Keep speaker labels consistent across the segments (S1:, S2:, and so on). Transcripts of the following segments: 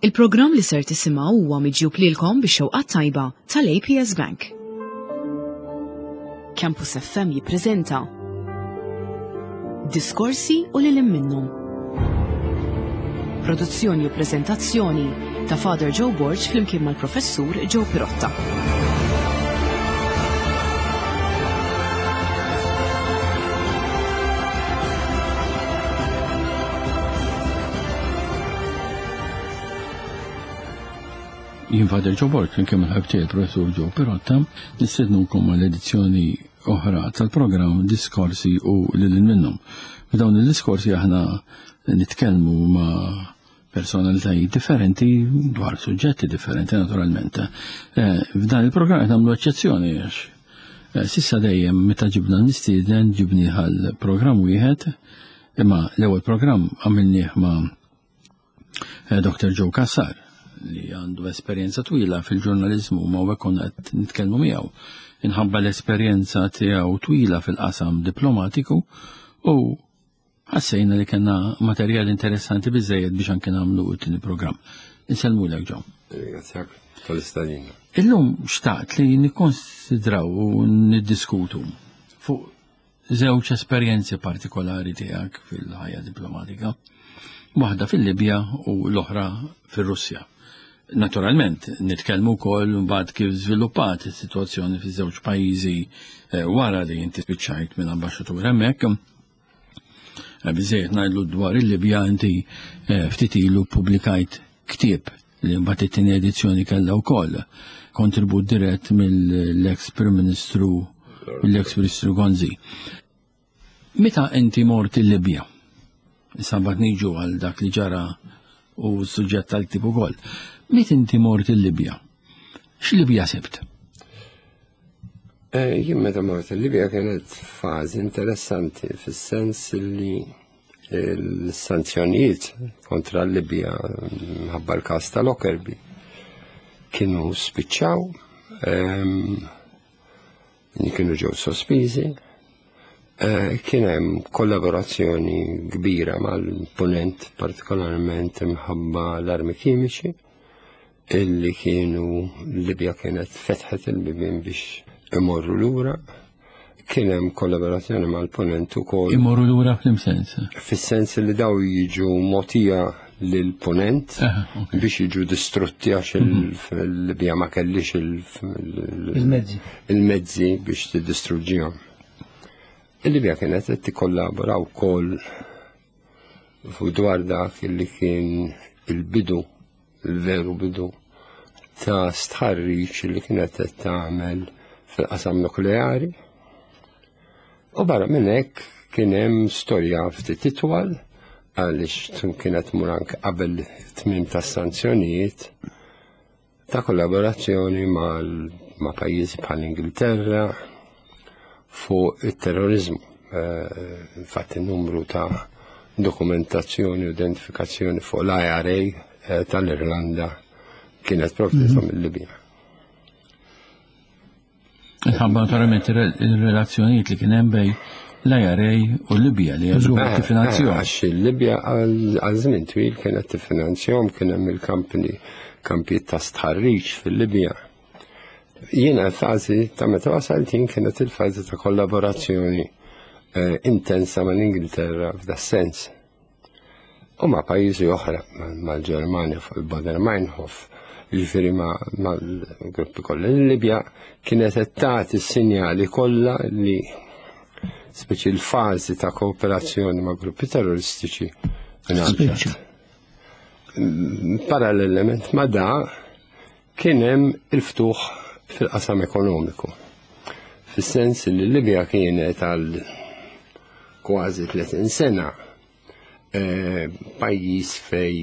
S1: Il-programm li ser tisimgħu huwa miġjub lilkom bix-xewqa tajba tal-APS Bank. Campus FM jippreżenta Diskorsi u lil minnhom. Produzzjoni u preżentazzjoni ta' Father Joe Borg flimkien mal-Professur Joe Pirotta.
S2: Jien Father Joe Borg, flimkien mal-ħabib tiegħi Professur Joe Pirotta, nistednukom għal edizzjoni oħra tal-programm Diskorsi u lil minnhom. F'dawn il-diskorsi aħna nitkellmu ma' personalitajiet differenti dwar suġġetti differenti naturalment. Eh, f'dan il-programm qed nagħmlu eċċezzjoni għax eh, sissa dejjem meta ġibna l-mistieden ġibni għal programm wieħed imma l-ewwel programm għamilnieh ma' eh, Dr. Joe Kassar li għandu esperjenza twila fil-ġurnalizmu ma u konna qed nitkellmu miegħu inħabba l-esperjenza tiegħu twila fil-qasam diplomatiku u Ħassejna li kellna materjal interessanti biżejjed biex anke nagħmlu t-tieni programm. Insellmulek Ġo.
S3: Ringrazzjak tal-istadina.
S2: Illum xtaqt li nikkonsidraw u niddiskutu fuq żewġ esperjenzi partikolari tiegħek fil-ħajja diplomatika. Waħda fil-Libja u l-oħra fir-Russja. Naturalment, nitkellmu wkoll mbagħad kif żviluppat is-sitwazzjoni fiż-żewġ pajjiżi eh, wara li inti spiċċajt minn ambaxxatur hemmhekk. Eh, biżejjed ngħidlu dwar il-Libja inti eh, ftit ilu publikajt ktieb li mbagħad it-tieni edizzjoni kellha wkoll kontribut dirett mill-ex Prim Ministru mill-ex Ministru Gonzi. Meta inti mort il-Libja? Issa mbagħad niġu għal dak li ġara u s-suġġett tal-ktieb ukoll. Meta inti mort il-Libja? X'Libja sibt?
S3: Eh, jien meta mort il-Libja kienet fażi interessanti fis-sens li l-sanzjonijiet kontra l-Libja mħabba l-każ ta' Lockerbie kienu spiċċaw, ehm, kienu ġew sospiżi, eh, kien hemm kollaborazzjoni kbira mal-punent partikolarment imħabba l-armi kimiċi illi kienu Libja kienet fetħet il-bibien biex imorru lura. Kien hemm kollaborazzjoni mal-punent ukoll.
S2: Imorru lura fl-sens?
S3: Fis-sens li daw jiġu motija lil-punent biex jiġu distrutti għax mhm. il-Libja ma kellix
S4: il-mezzi
S3: il-mezzi biex tiddistruġġihom. Il-Libja kienet qed tikkollabora wkoll fuq dwar dak li kien il-bidu, il-veru bidu ta' stħarriġ li kienet qed tagħmel fil-qasam nukleari. U barra minn hekk kien hemm storja ftit itwal għaliex kienet mur anke qabel tmiem tas-sanzjonijiet ta' kollaborazzjoni ma' pajjiżi bħal Ingilterra fuq it-terrorizmu. Eh, infatti numru ta' dokumentazzjoni u identifikazzjoni fuq l-IRA eh, tal-Irlanda kienet provdita mhm. mill-Libja.
S2: Nħabba naturalment il-relazzjonijiet li kien hemm bej l-IRA u Libja li għażlu eh, tiffinanzjahom.
S3: Eh, għax il-Libja għal żmien twil kienet tiffinanzjahom kien hemm il-kampni kampijiet ta' stħarriġ fil-Libja. Jiena l-fażi ta' meta wasalt jien kienet il-fażi ta' kollaborazzjoni eh, intensa mal-Ingilterra f'da sens. U ma' pajjiżi oħra, mal-Ġermanja fuq il-Bader Meinhof, jiġifieri mal-gruppi kollha. Il-Libja kienet qed tagħti s-sinjali kollha li speċi l-fażi ta' kooperazzjoni ma' gruppi terroristiċi
S4: Spiċċa.
S3: Parallelament ma' da kien hemm il-ftuħ fil-qasam ekonomiku. Fis-sens li l-Libja kienet għal kważi 30 sena eh, pajjiż fej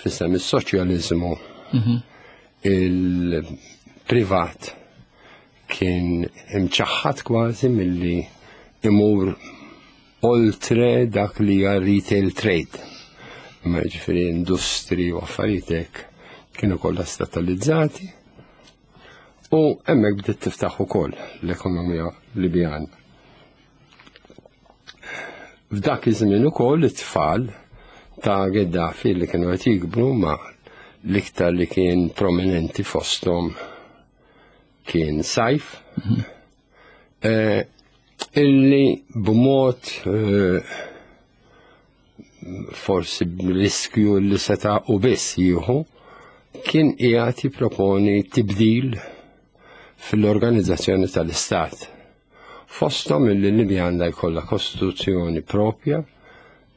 S3: fissem is-soċjaliżmu mhm. il-privat kien imċaħħad kważi milli imur oltre dak li hija retail trade. Ma ġifieri industri u affarijiet hekk kienu kollha statalizzati u hemmhekk bdiet tiftaħ ukoll l-ekonomija Libjana. F'dak iż-żmien ukoll it-tfal ta' Gaddafi li kienu qed jikbru ma' L-iktar li kien prominenti fosthom kien Sajf, illi b'mod forsi b'riskju li seta' u biss jieħu kien qiegħed jipproponi tibdil fil-organizzazzjoni tal-Istat. Fosthom illi Libja għandha jkollha kostituzzjoni propja,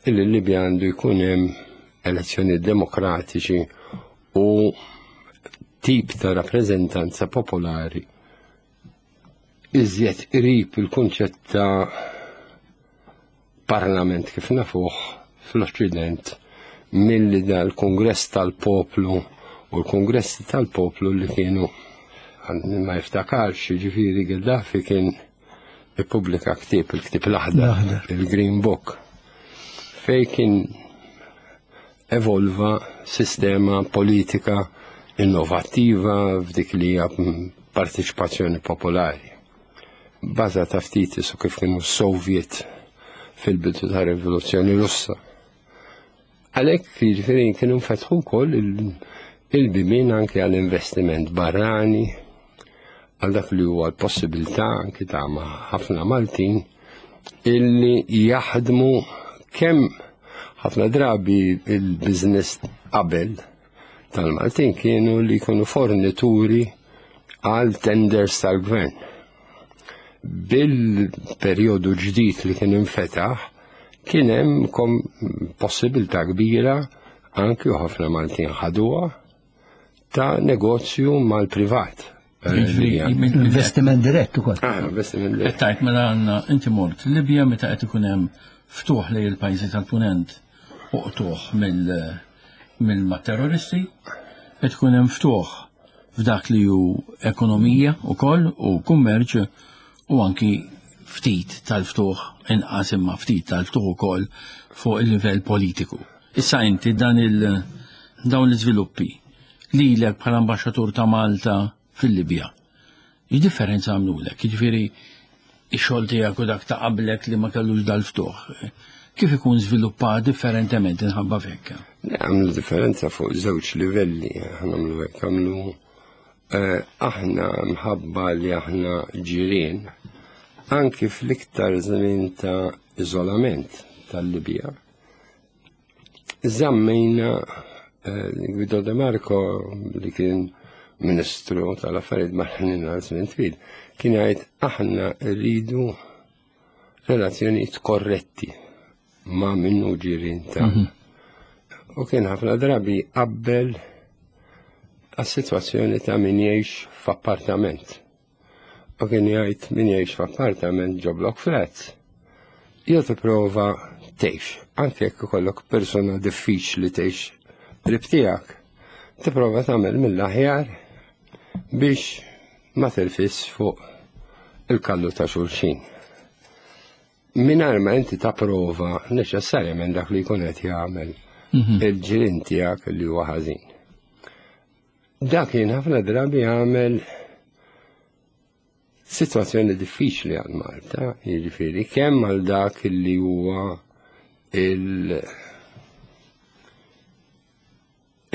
S3: illi Libja għandu jkun hemm elezzjoni demokratiċi u tip ta' rappreżentanza popolari iżjed qrib il-kunċett ta' parlament kif nafuh fl-Oċċident milli dal-Kungress tal-Poplu u l-Kungressi tal-Poplu li kienu ma jiftakarx, ġifieri Gaddafi kien ippubblika ktieb, il-ktieb l-aħdar, il-Green Book, fej kien evolva sistema politika innovattiva f'dik li hija partiċipazzjoni popolari. Bażata ftit su kif kienu Soviet fil-bidu ta' rivoluzzjoni Russa. Għalhekk jiġifieri kienu nfetħu wkoll il-bibien anke għall-investiment barrani, għal dak li huwa l-possibilità anke ta' ħafna Maltin illi jaħdmu kemm ħafna drabi il-business qabel tal-Maltin kienu li jkunu fornituri għal tenders tal-gvern. Bil-perjodu ġdid li kien infetaħ, kien hemm possibilità kbira anki u ħafna Maltin ħaduha ta' negozju mal-privat.
S4: Investiment dirett ukoll.
S3: Ah, investiment dirett.
S2: Tajt mela għandna inti mort Libja meta qed ikun hemm ftuħ lejn il-pajjiżi tal-Punent u qtuħ mill-terroristi, qed ikun hemm ftuħ f'dak li hu ekonomija wkoll u kummerċ u anki ftit tal-ftuħ inqas imma ftit tal-ftuħ ukoll fuq il-livell politiku. Issa inti dan il dawn l-iżviluppi lilek bħala ambaxxatur ta' Malta fil-Libja. X'differenza għamlulek? Jiġifieri ix-xogħol tiegħek u dak ta' qablek li ma kellux dal-ftuħ. Kif ikun żviluppat differentement inħabba fekk?
S3: Għamlu differenza fuq żewġ livelli, għamlu hekk għamlu aħna mħabba li aħna ġirien anki fl-iktar żmien ta' iżolament tal-Libja. Żammejna Guido De Marco li kien Ministru tal-Affarijiet Barranin għal żmien twil, kien jgħid aħna rridu relazzjonijiet korretti ma' minnu ġirien ta' U kien ħafna drabi qabbel għas-sitwazzjoni ta' min jgħix f'appartament. U kien jgħid min jgħix f'appartament ġo block flats. Jew tipprova tgħix, anke jekk ikollok persuna diffiċli tgħix qrib tiegħek, tipprova tagħmel mill-aħjar biex ma terfis fuq il-kallu ta' xulxin. Mingħajr ma inti tapprova neċessarjament dak li jkun qed jagħmel il-ġirien tiegħek li huwa ħażin. Dak kien ħafna drabi jagħmel sitwazzjoni diffiċli għal Malta, jiġifieri kemm għal dak li huwa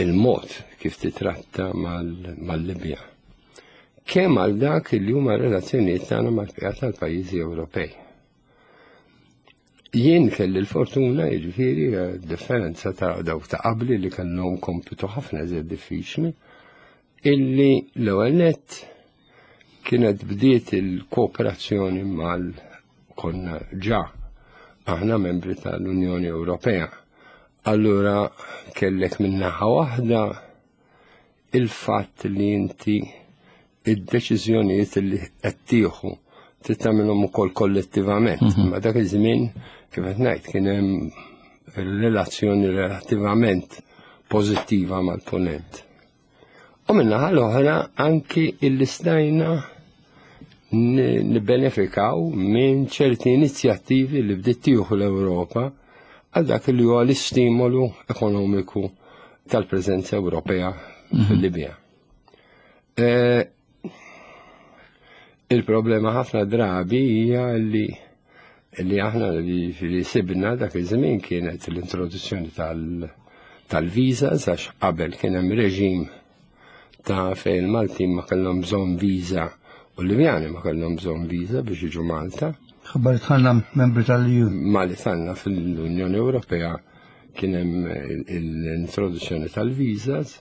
S3: il-mod kif titratta mal-Libja. Kemm għal dak li huma relazzjonijiet tagħna mal-bqija tal-pajjiżi Ewropej. Jien kelli l-fortuna, jiġifieri, differenza ta' dawk ta' qabli li kellhom kompitu ħafna iżjed diffiċli, illi l-ewwel nett kienet bdiet il-kooperazzjoni mal konna ġa aħna membri tal-Unjoni Ewropea. Allura kellek minnaħa waħda il-fatt li inti id-deċiżjonijiet li qed tieħu trid tagħmilhom ukoll kollettivament. Ma dak iż-żmien kif qed ngħid kien hemm relazzjoni relattivament pożittiva mal-punent. U min-naħa l-oħra anki illi stajna nibbenefikaw minn ċerti inizjattivi li bdiet tieħu l-Ewropa għal dak li huwa l-istimolu ekonomiku tal-preżenza Ewropea fil-Libja. Il-problema ħafna drabi hija li li aħna li sibna dak iż-żmien kienet l-introduzzjoni tal-visas għax qabel kien hemm reġim ta' fejn il-Maltin ma kellhom bżonn viża u l-Libjani ma kellhom bżonn viża biex jiġu Malta.
S4: Ħabbar tħallna membri tal-EU.
S3: Ma li tħallna fil-Unjoni Ewropea kien hemm l-introduzzjoni tal-visas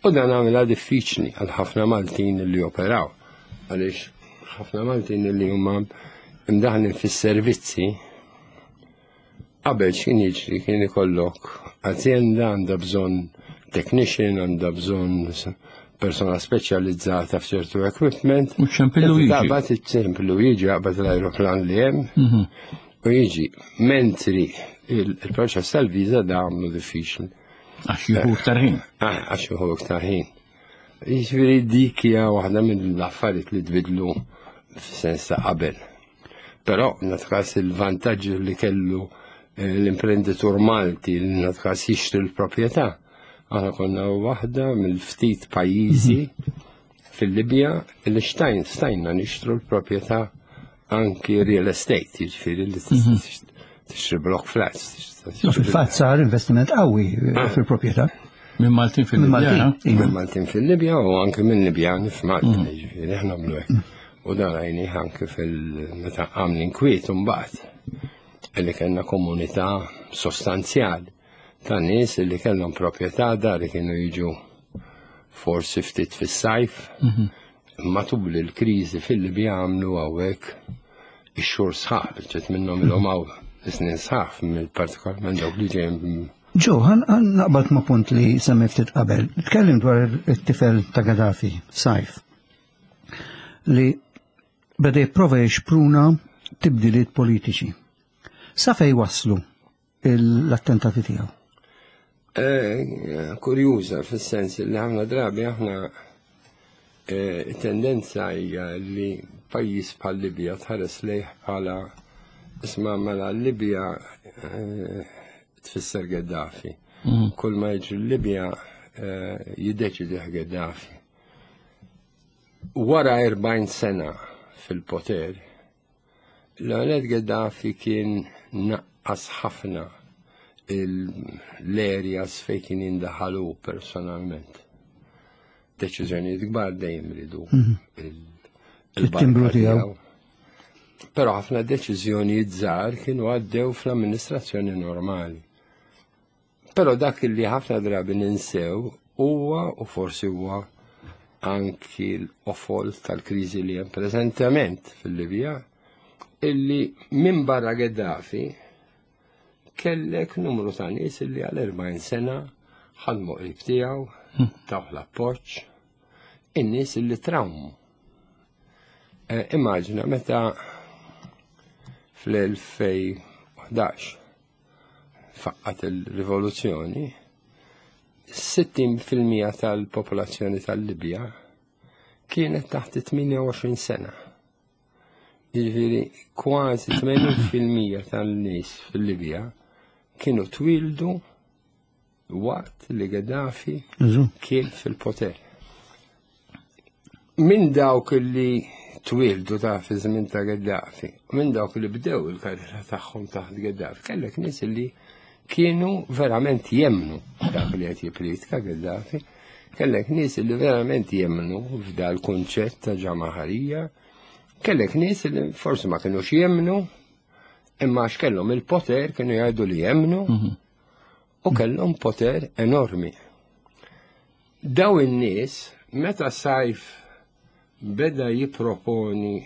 S3: u dan għamilha diffiċli għal ħafna Maltin li operaw għaliex ħafna Maltin li huma imdaħlin fis-servizzi Qabel x'kien jiġri kien ikollok azjenda għandha bżonn technician, għandha bżonn persona speċjalizzata f'ċertu equipment.
S2: U ċempillu jiġi.
S3: Taqbad iċ-ċempillu jiġi jaqbad l-ajruplan li hemm mhm. u jiġi. Mentri il-proċess tal-viża da għamlu diffiċli.
S2: Għax jieħu iktar ħin.
S3: Ah, għax jieħu iktar ħin. Jiġifieri dik hija waħda mill-affarijiet li tbidlu f'sens ta' qabel. Però natkas il-vantaġġ li kellu eh, l-imprenditur Malti li natkas jixtri l-proprjetà. Aħna konna waħda mill-ftit pajjiżi mhm. fil-Libja li xtajn stajna nixtru l-proprjetà anki real estate, jiġifieri li mhm. tixtri block flats.
S4: Fil-fatt sar investiment qawwi ah. fil-proprjetà.
S2: Minn Maltin fil-Libja.
S3: Minn Maltin fil-Libja u anke minn Libjan f'Malta, mhm. jiġifieri aħna nagħmlu hekk. U dan rajnih anke fil-meta qam l-inkwiet imbagħad illi kellna komunità sostanzjali ta' nies illi kellhom proprjetà dar li kienu jiġu forsi ftit fis-sajf. Mhm. Matul il-kriżi fil-Libja għamlu hawnhekk ix-xhur sħaħ, ġiet minnhom ilhom hawn snin sħaħ, partikolarment dawk li ġejjin
S4: Ġo, għan naqbad ma' punt li semmi ftit qabel. Tkellim dwar it-tifel ta' Gaddafi, Sajf, li beda jipprova jixpruna tibdiliet politiċi. Sa fej waslu l-attentati tiegħu?
S3: Eh, kurjuża fis-sens li ħafna drabi aħna eh, tendenza hija li pajjiż bħal Libja tħares lejh bħala isma' mela Libja eh, tfisser Gaddafi. Mm. Kull ma jiġri Libja jiddeċidih Gaddafi. Wara 40 sena fil-poter, L-għanet Gaddafi kien naqqas ħafna l-areas fejn kien jindaħalu personalment. Deċiżjonijiet kbar dejjem ridu mhm.
S4: il-timbru tiegħu.
S3: Però ħafna deċiżjonijiet żgħar kienu għaddew fl-amministrazzjoni normali. Però dak li ħafna drabi ninsew huwa u forsi huwa anki l-qofol tal-kriżi li hemm preżentament fil-Libja illi minn barra Gaddafi kellek numru ta' nies illi għal 40 sena ħadmu qrib tiegħu, hmm. tawh l-appoġġ, in-nies illi trawmu. Eh, immaġina meta fl-2011 faqqat il-rivoluzzjoni, 60% tal-popolazzjoni tal-Libja kienet taħt 28 sena. Jiġifieri kważi 80% tan-nies fil-Libja kienu twildu waqt li Gaddafi kien fil-poter. Minn dawk li twildu ta' fi żmien ta' Gaddafi, minn dawk li bdew il-karriera tagħhom taħt Gaddafi, kellek nies li kienu verament jemnu dak li qed jippriedka Gaddafi, kellek nies li verament jemnu f'dal kunċett ta' ġamaħarija, kellek nies li forsi ma kinux jemnu, imma għax kellhom il-poter kienu jgħidu li jemnu, mhm. u kellhom poter enormi. Daw in-nies meta Sajf beda jipproponi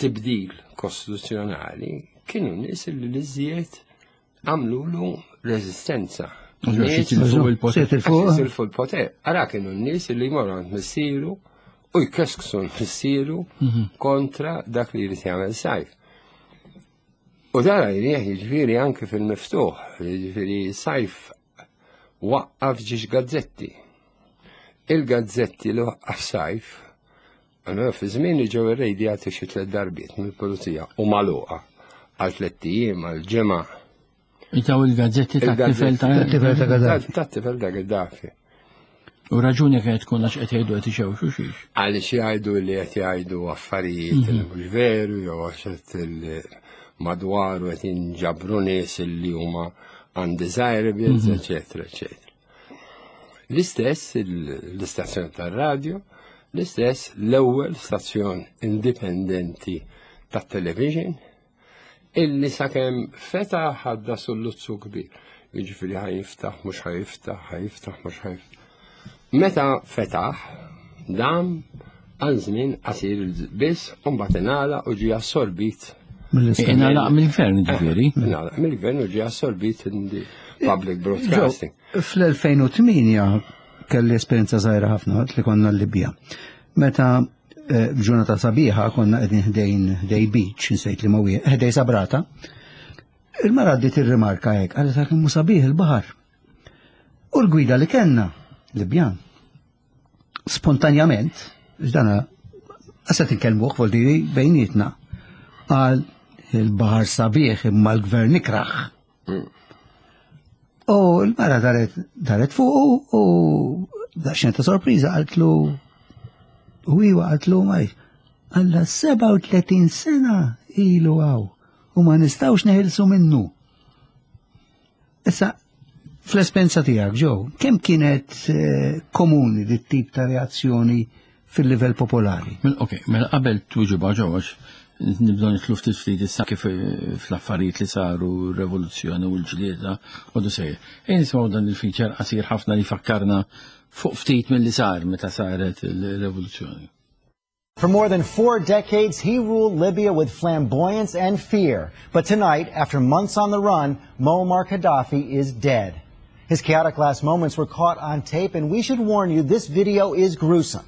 S3: tibdil kostituzzjonali, kienu nies li l-iżjed għamlulu reżistenza. Jitilfu l-poter. Ara kienu n-nies li jmorru għand missieru u jkesksu missieru mhm. kontra dak li jrid jagħmel Sajf. U dan rajnieh jiġifieri anke fil-miftuħ, jiġifieri Sajf waqqaf ġiex gazzetti. Il-gazzetti li waqqaf Sajf, għalmenu fi żmien li ġew irrejdjati xi tliet darbiet mill-pulizija u magħluqa għal tlett ijiem għal ġimgħa.
S2: Itaw il-gazzetti ta' tifel ta'
S4: tifel ta' Gaddafi.
S3: Ta' tifel ta' Gaddafi.
S2: U raġuni kienet tkun għax qed jgħidu qed ixewxu xiex.
S3: Għaliex jgħidu li qed jgħidu affarijiet li mhm. mhux veru jew għax qed madwaru qed jinġabru nies li huma. undesirables, eccetera, eccetera. L-istess l-istazzjon tar-radju, l-istess l-ewwel stazzjon indipendenti tat-television, illi sakemm fetaħ għadda sulluzzu kbir. Jiġifieri ħa jiftaħ, mhux ħa jiftaħ, ħa jiftaħ, mhux ħa jiftaħ. Meta fetaħ, dam għal żmien qasir biss u mbagħad ingħalaq u ġie assorbit.
S2: Ingħalaq mill-gvern ġifieri.
S3: Ingħalaq mill-gvern u ġie assorbit public broadcasting.
S4: Fl-2008 kelli esperjenza żgħira ħafna li konna l-Libja. Meta b'ġurnata sabiħa konna qegħdin ħdejn ħdej beach, nsejt li ma ħdej Sabrata. Il-mara għaddiet ir-rimarka hekk, qalet dak immu sabiħ il-baħar. U l-gwida li kellna, Libjan, spontanjament, dana għasat inkellmuh voldiri bejnietna, qal il-baħar sabiħ imma l-gvern ikraħ. U l-mara daret daret fuq u daqsxejn ta' sorpriża qaltlu u iwa qaltlu ma għalla 37 sena ilu għaw u ma nistgħux neħilsu minnu. Issa, fl-esperjenza tiegħek ġew, kemm kienet eh, komuni dit tip ta' reazzjoni fil-livell popolari?
S2: Ok, mela qabel tweġiba ġew għax nibdew nidħlu ftit ftit issa kif eh, fl-affarijiet li saru r-revoluzzjoni u l-ġlieda u du sejjer. Ejja nisimgħu dan il-feature qasir ħafna li fakkarna fuq ftit milli sar meta saret il-revoluzzjoni.
S5: For more than four decades, he ruled Libya with flamboyance and fear. But tonight, after months on the run, Muammar Gaddafi is dead. His chaotic last moments were caught on tape, and we should warn you, this video is gruesome.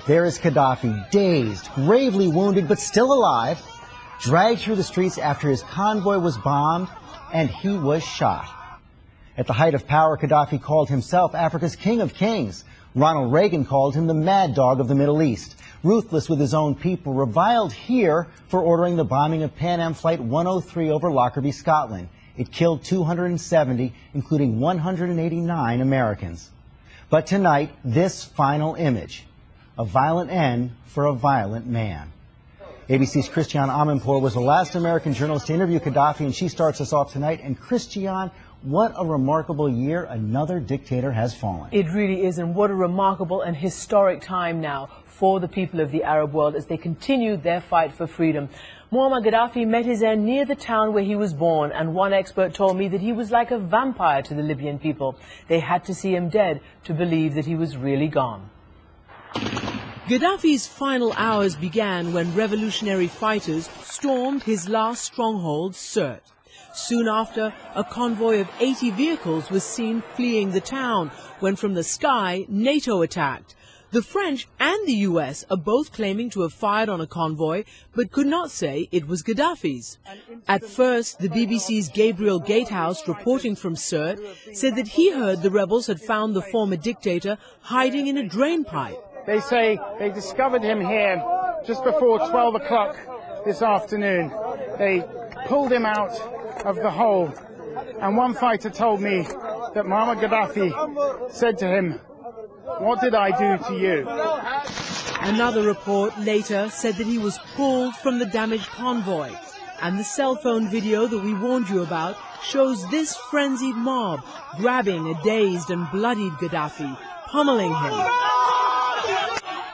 S5: There is Gaddafi, dazed, gravely wounded, but still alive, dragged through the streets after his convoy was bombed and he was shot. At the height of power, Gaddafi called himself Africa's king of kings. Ronald Reagan called him the mad dog of the Middle East. Ruthless with his own people, reviled here for ordering the bombing of Pan Am Flight 103 over Lockerbie, Scotland. It killed 270, including 189 Americans. But tonight, this final image, a violent end for a violent man. ABC's Christiane Amanpour was the last American journalist to interview Gaddafi, and she starts us off tonight. And Christiane, what a remarkable year. Another dictator has fallen.
S6: It really is, and what a remarkable and historic time now for the people of the Arab world as they continue their fight for freedom. Muammar Gaddafi met his end near the town where he was born, and one expert told me that he was like a vampire to the Libyan people. They had to see him dead to believe that he was really gone. Gaddafi's final hours began when revolutionary fighters stormed his last stronghold, Sirte. Soon after, a convoy of 80 vehicles was seen fleeing the town when from the sky, NATO attacked. The French and the US are both claiming to have fired on a convoy, but could not say it was Gaddafi's. At first, the BBC's Gabriel Gatehouse, reporting from Sirte, said that he heard the rebels had found the former dictator hiding in a drain pipe.
S7: They say they discovered him here just before 12 o'clock this afternoon. They pulled him out of the hole, and one fighter told me that Muammar Gaddafi said to him, "What did I do to you?"
S6: Another report later said that he was pulled from the damaged convoy. And the cell phone video that we warned you about shows this frenzied mob grabbing a dazed and bloodied Gaddafi, pummeling him.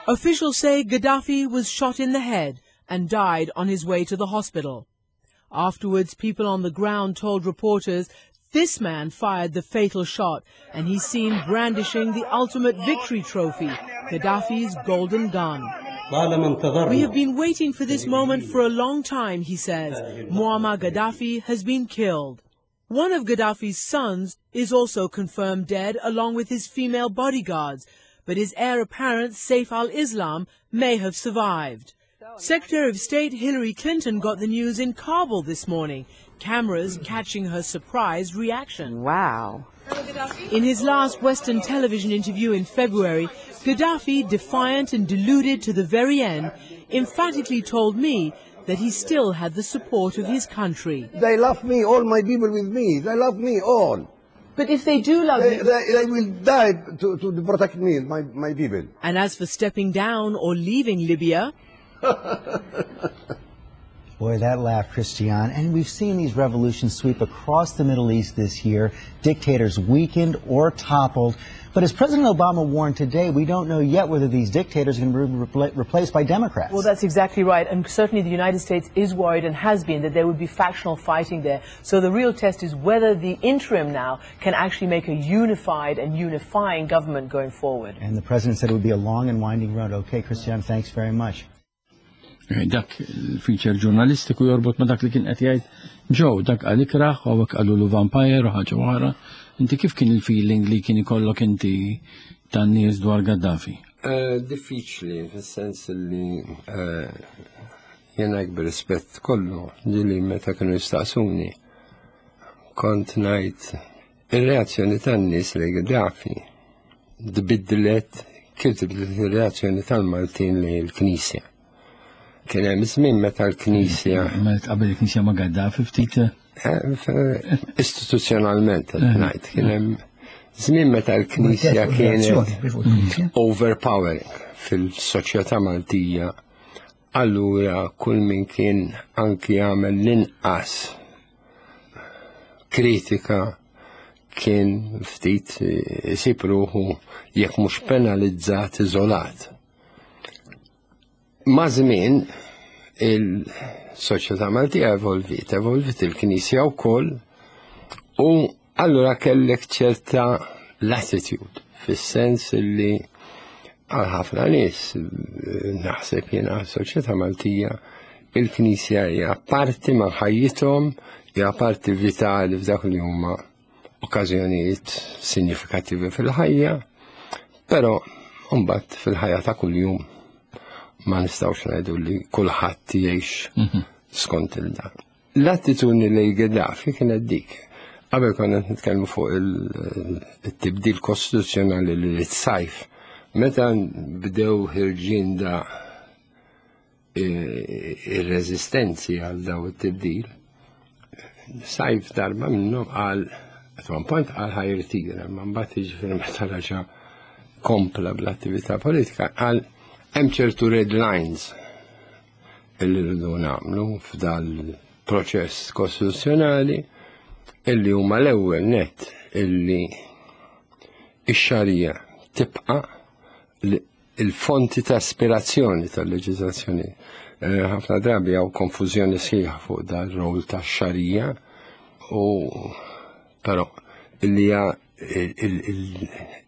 S6: Officials say Gaddafi was shot in the head and died on his way to the hospital. Afterwards, people on the ground told reporters this man fired the fatal shot, and he's seen brandishing the ultimate victory trophy, Gaddafi's golden gun. We have been waiting for this moment for a long time, he says. Muammar Gaddafi has been killed. One of Gaddafi's sons is also confirmed dead, along with his female bodyguards, but his heir apparent, Saif al-Islam, may have survived. Secretary of State Hillary Clinton got the news in Kabul this morning, cameras catching her surprised reaction.
S1: Wow.
S6: In his last Western television interview in February, Gaddafi, defiant and deluded to the very end, emphatically told me that he still had the support of his country.
S8: They love me, all my people with me. They love me all.
S6: But if they do love
S8: They
S6: you...
S8: will die to protect me, my people.
S6: And as for stepping down or leaving Libya...
S5: Boy, that laugh, Christiane. And we've seen these revolutions sweep across the Middle East this year, dictators weakened or toppled. But as President Obama warned today, we don't know yet whether these dictators are going to be replaced by Democrats.
S6: Well, that's exactly right. And certainly the United States is worried and has been that there would be factional fighting there. So the real test is whether the interim now can actually make a unified and unifying government going forward.
S5: And the president said it would be a long and winding road. Okay, Christiane, thanks very much.
S2: Eh, dak il-feature ġurnalistiku jorbot ma dak li kien qed jgħid Joe, dak qal ikraħ u hawnhekk qalulu vampire u ħaġa oħra. Inti kif kien il-feeling li kien ikollok inti tan-nies dwar Gaddafi?
S3: Eh, diffiċli, fis-sens li eh, jena bir-rispett kollu ġili meta kienu jistaqsuni kont ngħid ir-reazzjoni tan-nies li Gaddafi tbiddlet kif tibdlet ir-reazzjoni tal-Maltin li l-Knisja. Kien hemm żmien meta l-Knisja.
S2: Meta qabel il-Knisja ma' Gaddafi ftit.
S3: Eh, istituzzjonalment qed eh. ngħid kien hemm żmien meta l-Knisja kienet overpowering fil-soċjetà Maltija. Allura kull min kien anki jagħmel l-inqas kritika kien ftit isib ruħu jekk mhux penalizzat iżolat. Ma' żmien il-soċjetà Maltija evolvit, evolvit il-Knisja wkoll u allura kellek ċerta latitude fis-sens li għal ħafna nies naħseb jiena soċjetà Maltija il-Knisja hija parti ma' ħajjithom, hija parti vitali f'dak li huma okkażjonijiet sinjifikattivi fil-ħajja, però mbagħad fil-ħajja ta' kuljum ma nistgħux ngħidu li kulħadd jgħix mhm. skont il-dan. L-attitudni li Gaddafi kienet dik. Qabel konna nitkellmu fuq il-tibdil kostituzzjonali li sajf. Meta bdew ħirġin da ir-reżistenzi għal daw it-tibdil, sajf darba minnhom qal at one point qal ħajrtira, ma mbagħad jiġifieri meta raġa' kompla bl-attività politika qal hemm ċertu red lines illi rridu nagħmlu f'dal proċess kostituzzjonali illi huma l-ewwel net illi ix-xarija tibqa' il-fonti ta' ispirazzjoni tal-leġiżlazzjoni. Eh, ħafna drabi hawn konfużjoni sħiħa fuq dan rol ta' xarija u però illi hija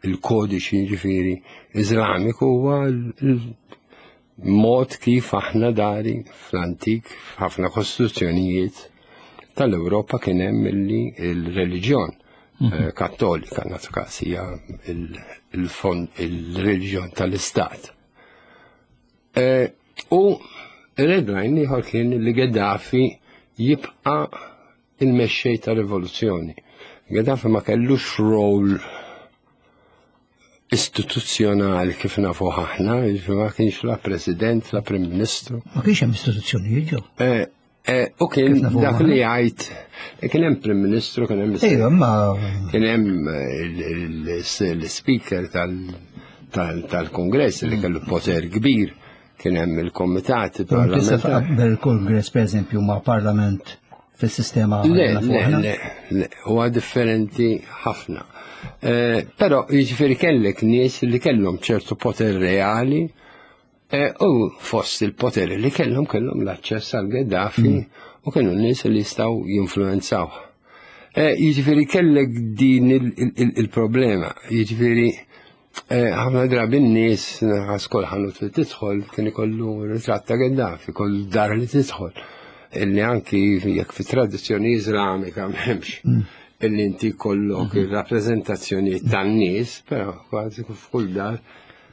S3: il-kodiċi ġifieri Iżlamiku huwa l-mod kif aħna dari fl-antik f'ħafna kostituzzjonijiet tal-Ewropa kien hemm illi il-reliġjon mhm. eh, kattolika nagħtu każ hija il-fond il-reliġjon tal-istat. Eh, u red line ieħor kien li Gaddafi jibqa' il-mexxej ta' rivoluzzjoni. Gaddafi ma kellux rol istituzzjonali kif nafu aħna, jiġifieri ma kienx la president, la prim ministru.
S4: Ma kienx hemm istituzzjonijiet ġew.
S3: Eh, eh, u kien dak li jgħid, kien hemm prim ministru, kien hemm
S4: Ejwa, ma
S3: kien hemm l-speaker tal-kongress li kellu poter kbir, kien hemm il-komitati
S4: Tista' tqabbel il-kongress pereżempju ma' parlament fis-sistema
S3: Le, le, le, le, huwa differenti ħafna. Eh, però jiġifieri kellek nies li kellhom ċertu poter reali eh, u fost il-poter li kellhom kellhom l-aċċess għal Gaddafi mm. u kienu nies li jistgħu jinfluenzaw. Eh, jiġifieri kellek din il-problema, jiġifieri ħafna drabi n-nies għas kull ħanut li tidħol kien ikollu ritratt ta' Gaddafi, kull dar li tidħol. Illi anki jekk fi tradizzjoni Iżlamika m'hemmx mm. illi inti kollok mm-hmm. il-rappreżentazzjoni tan-nies, però kważi f'kull dar.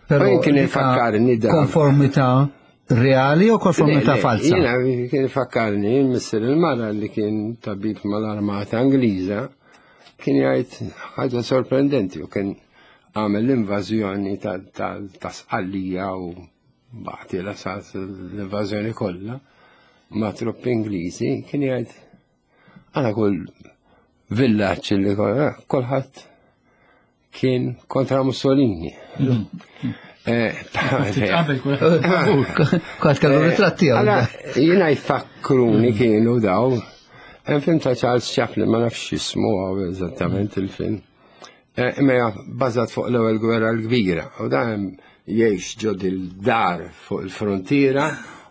S4: Però
S3: kien ifakkarni
S4: da. Konformità reali u konformità falsa?
S3: Jiena kien ifakkarni missier il-mara li kien tabib mal-armata Ingliża kien jgħid ħaġa sorprendenti u kien għamel l-invażjoni ta' Sqallija u baħti la sat l-invażjoni kollha ma' truppi Ingliżi kien jgħid għana kull villaġġ li eh, kulħadd kien kontra Mussolini. Mm.
S4: Qabel kulħadd kellu ritratt tiegħu.
S3: Jiena jfakkruni kienu daw. Hemm film ta' Charles Chaplin ma nafx jismu għaw eżattament il-film. Imma hija bbażat fuq l-ewwel gwerra l-kbira. U dan jgħix ġo dil-dar fuq il-frontiera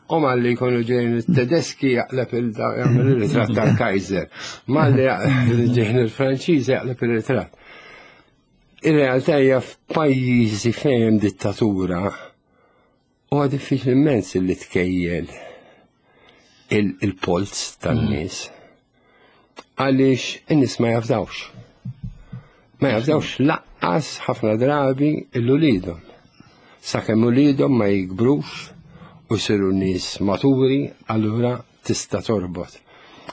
S3: u malli jkunu ġejjin it-Tedeski jaqleb il-jagħmel ir-ritratt tal-Kaiser. Malli ġejjin il-Franċiżi jaqleb ir-ritratt. Ir-realtà hija f'pajjiżi fejn hemm dittatura huwa diffiċli immens li tkejjel il-polz tan-nies. Għaliex in-nies ma jafdawx. Ma jafdawx laqqas ħafna drabi l-ulidhom. Sakemm ulidhom ma jikbrux u jsiru nies maturi, allura tista' torbot.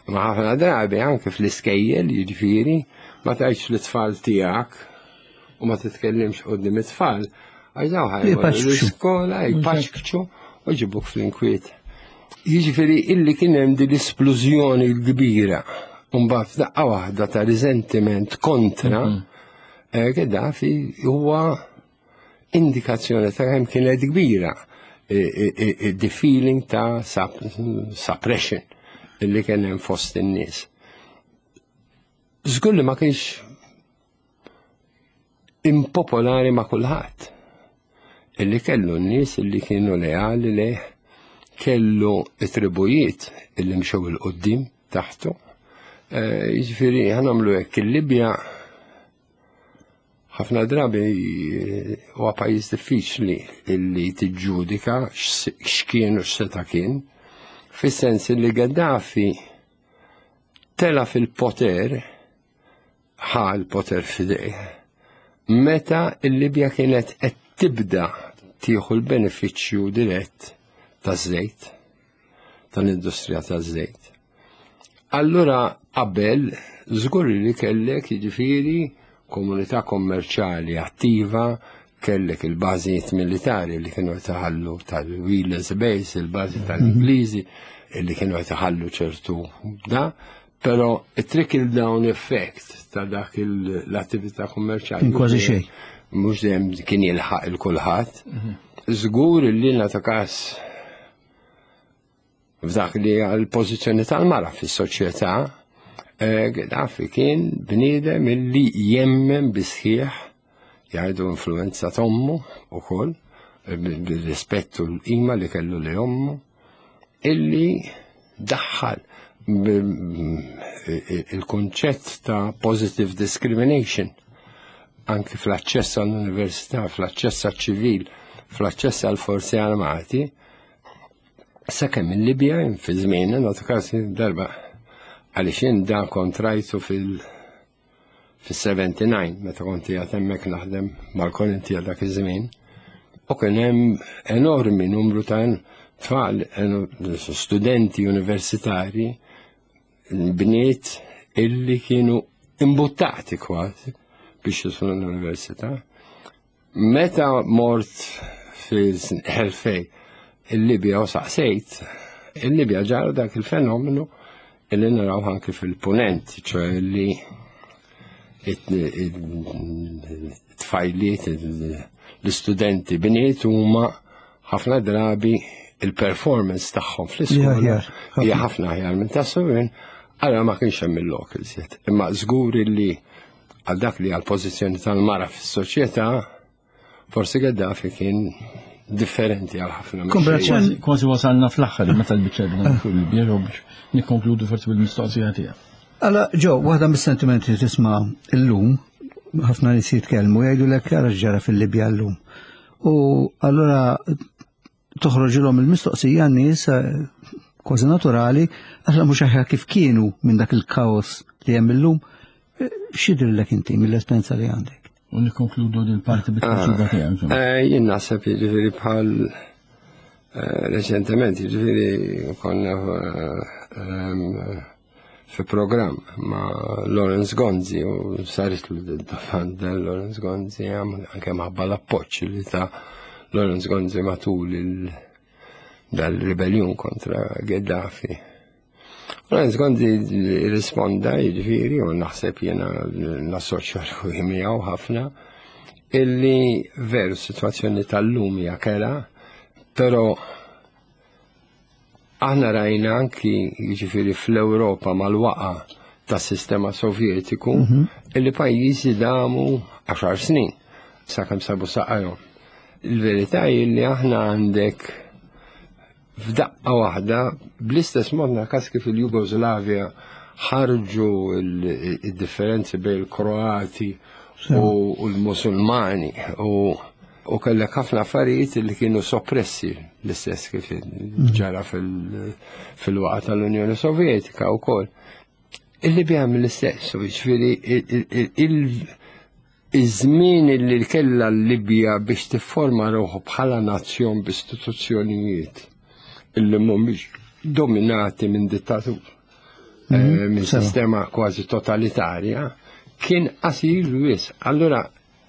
S3: Ma ħafna drabi anke fl-iskejjel jiġifieri ma tgħidx lit-tfal tiegħek u ma titkellimx quddiem it-tfal għax dawn ħajmorru l-iskola jpaxkċu u jġibuk fl-inkwiet. Jiġifieri illi kien hemm din l-isplużjoni l-kbira u mbagħad f'daqqa waħda ta' riżentiment kontra Gaddafi huwa indikazzjoni ta' kemm kienet kbira the feeling ta' suppression illi kien hemm fost in-nies. Żgur li ma kienx impopolari ma' kulħadd. Illi kellu n-nies illi kienu leali lejh, kellu it-tribujiet illi mxew il-qoddim taħtu. Jiġifieri ħa nagħmlu hekk il-Libja ħafna drabi huwa pajjiż diffiċli illi tiġġudika x'kien u x'seta' kien, fis-sens li Gaddafi tela' fil-poter, ħa l-poter f'idejh, meta l-Libja kienet qed tibda tieħu l-benefiċċju dirett taż-żejt, tal-industrija taż-żejt. Allura qabel żgur li kellek jiġifieri komunità kommerċjali attiva, kellek il-bażijiet militari li kienu qed iħallu tal-Wheelers Base, il-bażi tal-Ingliżi li kienu qed iħallu ċertu da, però it-trickle down effect ta' dak l-attività kummerċjali.
S4: Kważi xejn.
S3: Mhux dejjem kien jilħaq il-kulħadd. Żgur li nagħtu każ F'dak li għal pożizzjoni tal-mara fis-soċjetà, Gaddafi kien bniedem illi jemmen bisħieħ jgħidu influenza t'ommu ukoll, bir-rispett u l-qima li kellu li ommu, illi daħħal il-kunċett ta' positive discrimination anki fl-aċċess għall-università, fl-aċċess għall-ċivil, fl-aċċess għall-forzi armati, Sakemm il-Libja fi żmien, nagħtu każ darba għaliex jien dan kont rajtu fil fis-79 meta kont qiegħed hemmhekk naħdem mal-Korinti għal dak iż-żmien. U kien hemm enormi numru ta' tfal, studenti universitari, bniet illi kienu imbuttati kważi biex jidħlu l-università. Meta mort fil-2000 il-Libja u saqsejt, il-Libja ġara dak il-fenomenu illi naraw anki fil-punent, ċoħe li it-tfajliet, l-istudenti bniet huma ħafna drabi il-performance tagħhom fl-iskola hija ħafna aħjar minn ta' subien, għala ma kienx hemm il-lok iżjed. Imma żgur li għal dak li għal pożizzjoni tal-mara fis-soċjetà, forsi Gaddafi kien differenti għal ħafna.
S2: Kważi kważi wasalna fl-aħħar meta l-biċċa bna fil-bjeru biex nikkonkludu forsi bil-mistoqsija tiegħek.
S4: Alla, ġo, waħda mis-sentimenti li tisma' illum, ħafna nies jitkellmu jgħidulek ara x'ġara fil-Libja llum. U allura toħroġilhom il-mistoqsija n-nies kważi naturali, għax mhux aħjar kif kienu minn dak il-kaos li hemm illum. X'jidhirlek inti mill-esperjenza li għandek?
S2: U nikkonkludu din parti bit-tweġiba tiegħek.
S3: Jien naħseb jiġifieri bħal reċentement, jiġifieri konna fi programm ma' Lawrence Gonzi u saret l-domanda Lawrence Gonzi anke maħabba l-appoġġ li ta' Lawrence Gonzi matul dal-ribellion kontra Gaddafi. Lawrence Gonzi risponda jiġifieri u naħseb jiena nassoċja ruħi miegħu ħafna. Illi veru situazzjoni tal-lum hija kera, però aħna rajna anki jiġifieri fl-Ewropa mal-waqa tas-sistema Sovjetiku illi pajjiżi damu 10 snin sakemm sabu saqajhom. Il-verità hi li aħna għandek f'daqqa waħda bl-istess mod naqas kif il-Jugoslavja ħarġu il-differenzi bejn il-Kroati u l-Musulmani u kellek ħafna affarijiet li kienu soppressi l-istess kif ġara fil-waqa tal-Unjoni Sovjetika wkoll. Il-Libja mill-istess, jiġifieri iż-żmien li kellha l-Libja biex tifforma ruħu bħala nazzjon b'istituzzjonijiet illi mhumiex dominati minn dittatur, minn sistema kważi totalitarja, kien qasir wisq. Allura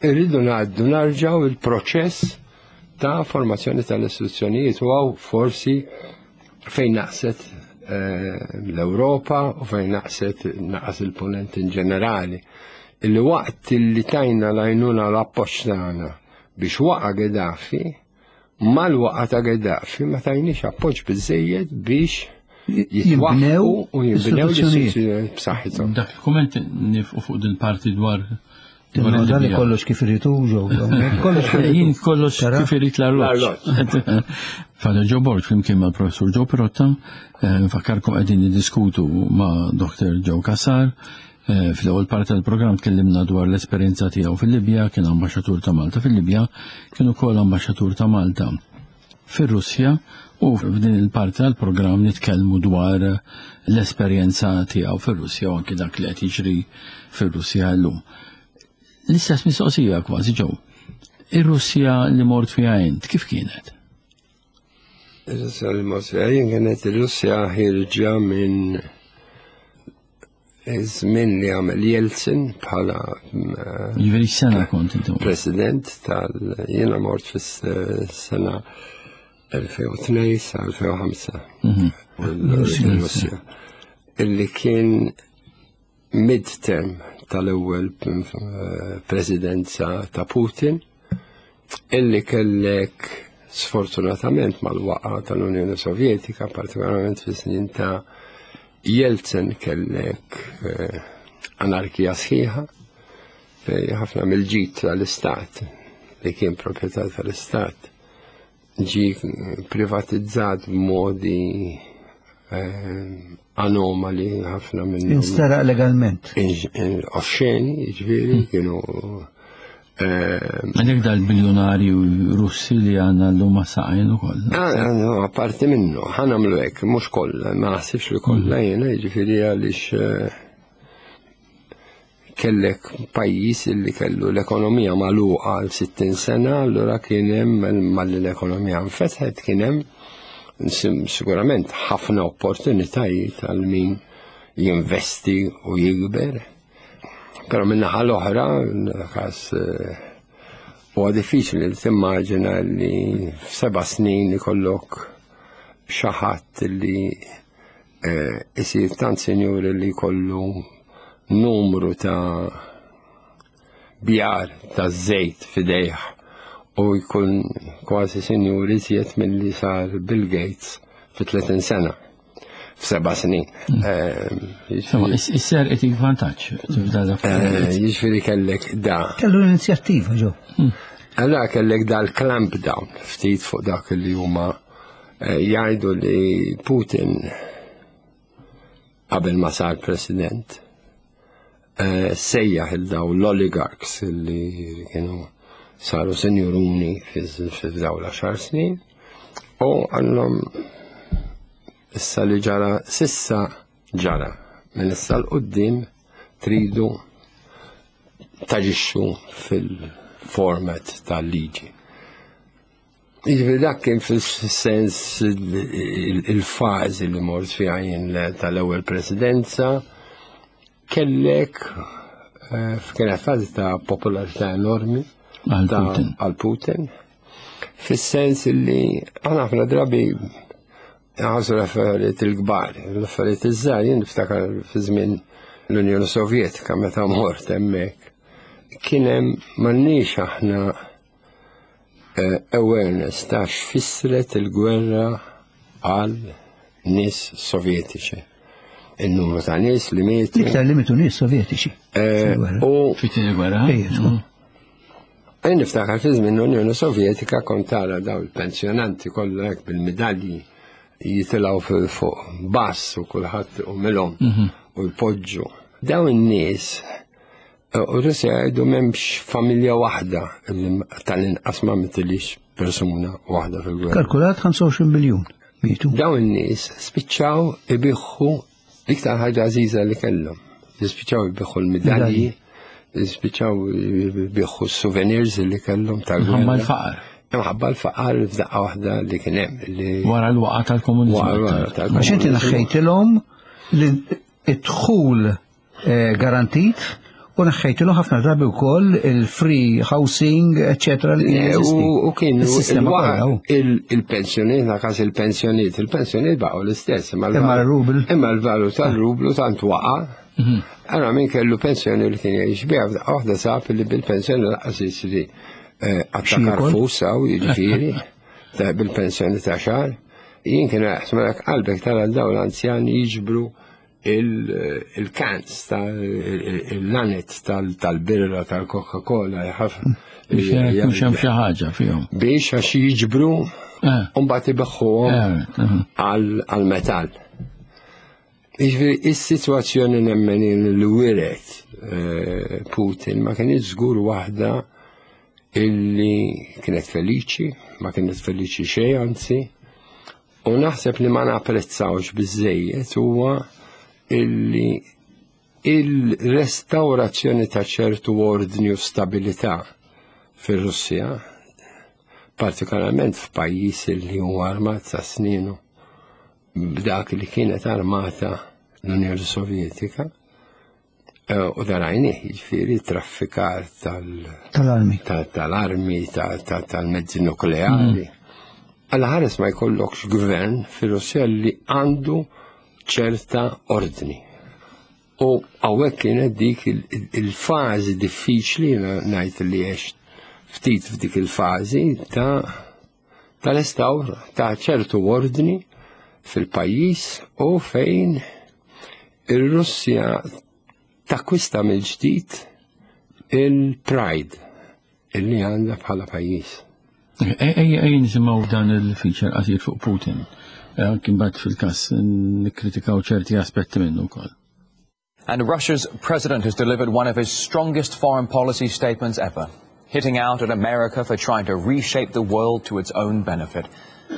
S3: irridu ngħaddu narġgħu il-proċess ta' formazzjoni tal-istituzzjonijiet u hawn forsi fejn naqset l-Ewropa u fejn naqset naqas il-ponent in ġenerali. Illi waqt li tajna l-għajnuna l-appoġġ tagħna biex waqa' Gaddafi, mal-waqa ta' Gaddafi ma tajniex appoġġ biżejjed biex jitwaqqfu u jinbnew l-istituzzjonijiet b'saħħithom.
S2: Dak il-kumment nifqu fuq din parti dwar
S4: Tinnoda li kollox kif irid hu ġew. Kollox kif irid.
S2: Jien kollox kif irid l-arloġġ. Father Joe Borg flimkien mal-Professur Joe Pirotta, nfakkarkom qegħdin niddiskutu ma' Dr. Joe Cassar. Fl-ewwel parti tal-programm tkellimna dwar l-esperjenza tiegħu fil-Libja, kien ambaxxatur ta' Malta fil-Libja, kien ukoll ambaxxatur ta' Malta fir-Russja u f'din il-parti tal-programm nitkellmu dwar l-esperjenza tiegħu fir-Russja u anki dak li qed jiġri fir-Russja llum. L-istess mistoqsija kważi Joe. Ir-Russja li mort fiha int kif kienet?
S3: Ir-Russja li mort fiha jien kienet ir-Russja ħierġa minn iż-żmien li għamel Jeltsin bħala
S2: Jiġifieri x'sena kont inti?
S3: President tal jiena mort fis-sena 2002 sa 2005. Russja. Illi kien mid-term tal-ewwel presidenza ta' Putin illi kellek sfortunatament mal-waqa tal-Unjoni Sovjetika, partikolarment fis-snin ta' Jeltsin kellek anarkija sħiħa fej ħafna mill-ġid tal-istat li kien proprjetà tal-istat ġi privatizzat b'modi anomali ħafna minnhom.
S4: Insteraq legalment.
S3: Oxxeni, jiġifieri, kienu
S2: Għalhekk dal-biljonarju Russi li għandna llum ma' saqajn ukoll.
S3: Apparti minnu, ħa nagħmlu hekk, mhux kollha, ma naħsibx li kollha jiena, jiġifieri għaliex kellek pajjiż li kellu l-ekonomija magħluqa għal 60 sena, allura kien hemm malli l-ekonomija nfetħet kien hemm sigurament ħafna opportunitajiet għal min jinvesti u jikber. Però min-naħa l-oħra, każ huwa diffiċli li timmaġina li f'seba' snin ikollok xi ħadd li isir tant sinjuri li jkollu numru ta' bjar ta' żejt f'idejh u jkun kważi sinjur iżjed milli sar Bill Gates fi 30 sena. F'seba' snin.
S2: Is-ser qed vantaġġ.
S3: Jiġifieri kellek da.
S4: Kellu l-inizjattiva ġo.
S3: Allora kellek da l-clamp down ftit fuq dak li huma jgħidu li Putin qabel ma sar president sejjaħ il daw l-oligarchs li kienu saru senjuruni f'daw l-10 snin u għallhom issa li ġara sissa ġara minn issa l-qoddim tridu taġixxu fil-format tal-liġi. Jiġifieri dak kien fis-sens il-fażi li mort fiha jien tal-ewwel presidenza kellek kienet fażi ta' popolarità enormi għal Putin. Fis-sens li aħna ħafna drabi nħarsu l-affarijiet il-kbar, l-affarijiet iż-żgħar, jien niftakar fi żmien l-Unjoni Sovjetika meta mort hemmhekk. Kien hemm m'għandniex aħna awareness ta' x'fissret il-gwerra għal nies Sovjetiċi. Il-numru ta' nies li mietu.
S4: L-iktar li mietu nies Sovjetiċi.
S3: U
S2: fit-tieni gwerra.
S3: Jien niftakar fi żmien l-Unjoni Sovjetika kont tara daw il-pensjonanti kollha hekk bil-midalji jitilgħu fuq bass u kulħadd umilhom u jpoġġu. Daw in-nies u Russja jgħidu m'hemmx familja waħda li tal-inqas ma mitilix persuna waħda fil-gwerra.
S4: Kalkulat 25 miljun mietu.
S3: Daw in-nies spiċċaw ibiħħu l-iktar ħaġa għażiża li kellhom. Spiċċaw ibiħħu l-midalji, spiċċaw ibiħħu s-souvenirs li kellhom tal-gwerra.
S2: Imħabba l-faqar.
S3: Imħabba l-faqar f'daqqa waħda li kien hemm.
S2: Wara l-waqa tal-komuniżmu.
S3: Wara l-waqa tal-komuniżmu.
S4: Għax inti naħħejtilhom id-dħul garantit u neħħejtilhom ħafna drabi wkoll il-free housing, eccetera, li kien jeżisti.
S3: U kienu
S4: Is-sistema kollha, u.
S3: il-pensjoniet, na każ il-pensjoniet, il-pensjoniet baqgħu l-istess.
S4: Imma l-rubl.
S3: Imma l-valur tal-rublu tant waqa'. Allora min kellu pensjoni li kien jgħix biha, f'daqqa waħda sab li bil-pensjoni lanqas jisri attakar
S4: Xi jkun?
S3: fusa u jiġifieri bil-pensjoni ta' xahar. Jien kien jaħseb qalbek tara dawn l-anzjani jiġbru il-cans, il-lanet tal-birra, tal-Coca-Cola, ħafna.
S2: Biex jekk hemm xi ħaġa fihom.
S3: Biex għax jiġbru u mbagħad ibeħħuhom għal-metall. Jiġifieri is-sitwazzjoni nemmen li wiret Putin ma kienx żgur waħda illi kienet feliċi, ma kienet feliċi xejn anzi, u naħseb li ma napprezzawx biżejjed huwa illi il-restaurazzjoni ta' ċertu ordni u stabilità fir-Russja, partikolarment f'pajjiż li huwa armat sa sninu b'dak li kienet armata l-Unjoni Sovjetika, u darajni, jiġifieri traffikar
S4: Tal-armi.
S3: tal-armi, tal-mezzi nukleari. Alla ħares ma jkollokx gvern fir-Russja li għandu ċerta ordni. U hawnhekk kienet dik il-fażi diffiċli, ngħid li għext ftit f'dik il-fażi tal-restawr ta' ċertu ordni fil-pajjiż u fejn ir-Russja takkwista mill-ġdid il-pride illi għandha bħala pajjiż.
S2: Ejja nisimgħu dan il-feature qasir fuq Putin. Anki mbagħad fil-każ nikkritikaw ċerti aspetti minnu wkoll.
S9: And Russia's president has delivered one of his strongest foreign policy statements ever, hitting out at America for trying to reshape the world to its own benefit.